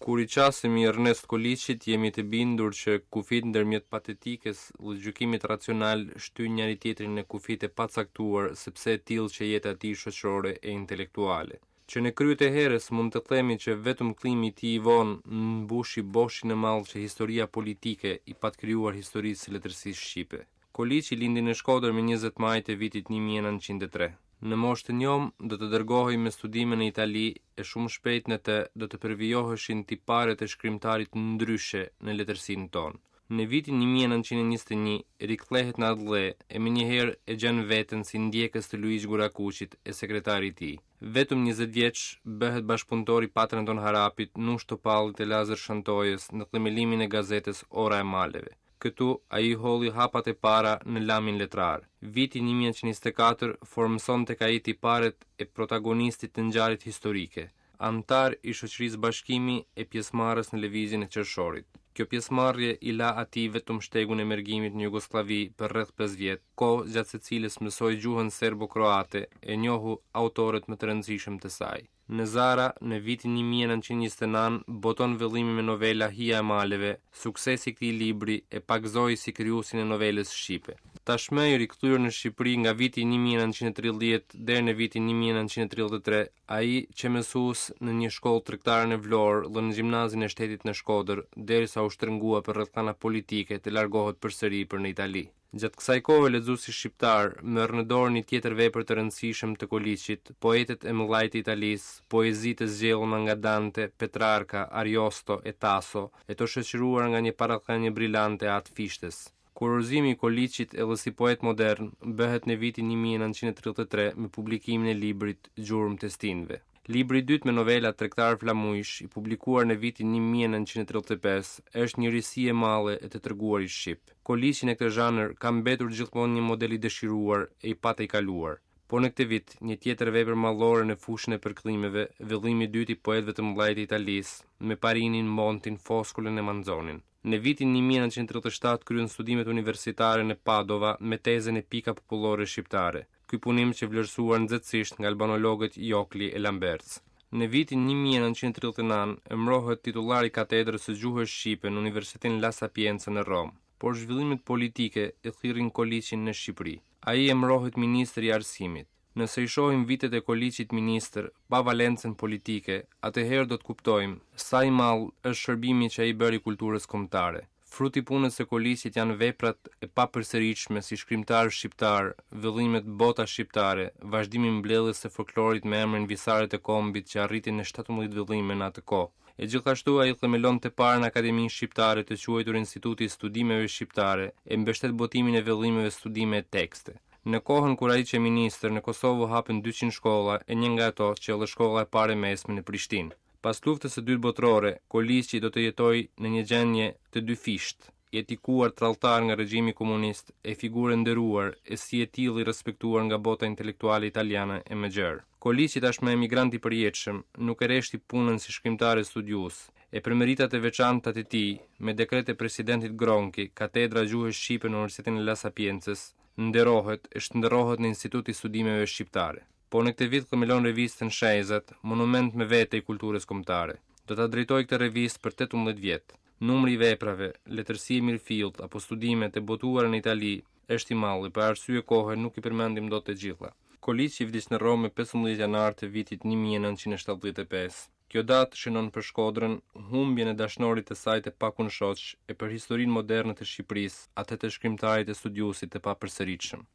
Kur i qasemi Ernest Koliqit jemi të bindur që kufijtë ndërmjet patetikës dhe gjykimit racional shtyjnë njëri-tjetrin në kufij të pacaktuar sepse e tillë qe jeta e tij shoqërore e intelektuale. Që në krye të herës mund të themi që vetëm kthimi i tij i vonë mbushi boshin e madh që historia politike i pat krijuar historisë së letërsisë shqipe. Koliqi lindi në Shkodër më 20 maj të vitit 1903. Në moshë të njomë do të dërgohej me studime në Itali e shumë shpejt në të do të përvijoheshin tiparet e shkrimtarit ndryshe në letërsinë tonë. Në vitin 1921 rikthehet në atdhe e menjëherë e gjen veten si ndjekës të Luigj Gurakuqit e sekretar i tij. Vetëm 20 vjeç bëhet bashkëpunëtor i Patër Anton Harapit, Nush Topallit e Lazër Shantojës në themelimin e gazetës Ora e Maleve. Këtu ai hodhi hapat e para në lamin letrar. Viti 1924 formëson tek ai tiparet e protagonistit të ngjarjet historike, anëtar i shoqërisë Bashkimi e pjesëmarrës në lëvizjen e qershorit. Kjo pjesëmarrje i la atij vetëm shtegun e mërgimit në Jugosllavi për rreth 5 vjet, kohë gjatë së cilës mësoi gjuhën serbo-kroate e njohu autorët më të rëndësishëm të saj. Në Zara, në vitin 1929, boton vëllimin me novela Hija e maleve, suksesi i këtij libri e pagëzoi si krijuesin e novelës shqipe. Tashmë i rikthyer në Shqipëri nga viti 1930 deri në vitin 1933, ai qe mësues në një shkollë tregtare në Vlorë dhe në gjimnazin e shtetit në Shkodër, derisa u shtrëngua për rrethana politike të largohet përsëri për në Itali. Gjatë kësaj kohe lexuesi shqiptar merr në dorë një tjetër vepër të rëndësishëm të Koliqit, Poetët e mëdhaj të Italisë, poezi të zgjedhura nga Dante, Petrarka, Ariosto e Taso, e të shoqëruar nga një parathënie brilante e At Fishtës. Kurorëzimi i Koliqit edhe si poet modern bëhet në vitin 1933 me publikimin e librit Gjurmë të stinëve. Libri i dytë me novela Tregtar flamujsh, i publikuar në vitin 1935, është një risi e madhe e të treguarit shqip. Koliqi në këtë zhanër ka mbetur gjithmonë një model i dëshiruar e i patejkaluar. Po në këtë vit, një tjetër vepër madhore në fushën e përkthimeve, vëllimi i dytë i poetëve të mëdhenj të Italisë, me Parinin, Montin, Foskolën e Manzonin. Në vitin 1937 kryen studimet universitare në Padova me tezën Epika popullore shqiptare. Ky punim qe vlerësuar nxehtësisht nga albanologët Jokli e Lamberts. Në vitin 1939 emërohet titullar i katedrës së gjuhës shqipe në Universitetin La Sapienza në Romë, por zhvillimet politike e thirrin Koliqin në Shqipëri. Ai emërohet ministër i Arsimit. Nëse i shohim vitet e Koliqit ministër, pa valencën politike, atëherë do të kuptojmë sa i madh është shërbimi që ai bëri kulturës kombëtare. Frut i punës së Koliqit janë veprat e papërsëritshme si shkrimtar shqiptar, vëllimet Bota shqiptare, vazhdimi i mbledhjes së folklorit me emrin Visaret e Kombit që arriti në 17 vëllime në atë kohë. E gjithashtu ai themelon të parën akademi shqiptare të quajtur Instituti i Studimeve Shqiptare e mbështet botimin e vëllimeve studime e tekste. Në kohën kur ai qe ministër, në Kosovë u hapën 200 shkolla e një nga ato qe edhe shkolla e parë e mesme në Prishtinë. Pas luftës së dytë botërore, Koliqi do të jetojë në një gjendje të dyfishtë, i etikuar tradhtar nga regjimi komunist e figurë e nderuar e si e tillë i respektuar nga bota intelektuale italiane e më gjerë. Koliqi tashmë emigrant i përjetshëm, nuk e reshti punën si shkrimtar e studiues, e për meritat e veçanta të tij, me dekret të presidentit Gronchi, katedra e gjuhës shqipe në Universitetin e La Sapiencës, nderohet e shndërrohet në Institut i Studimeve Shqiptare. Po në këtë vit themelon revistën Shenjëzat, monument më vete i kulturës kombëtare. Do ta drejtojë këtë revistë për 18 vjet. Numri i veprave, letërsi e mirëfilltë apo studime të botuara në Itali është i madh e për arsye kohe nuk i përmendim dot të gjitha. Koliqi vdiq në Romë më 15 janar të vitit 1975. Kjo datë shënon për Shkodrën humbjen e dashnorit të saj të pakunshoq e për historinë moderne të Shqipërisë, atë të shkrimtarit e studiuesit të papërsëritshëm.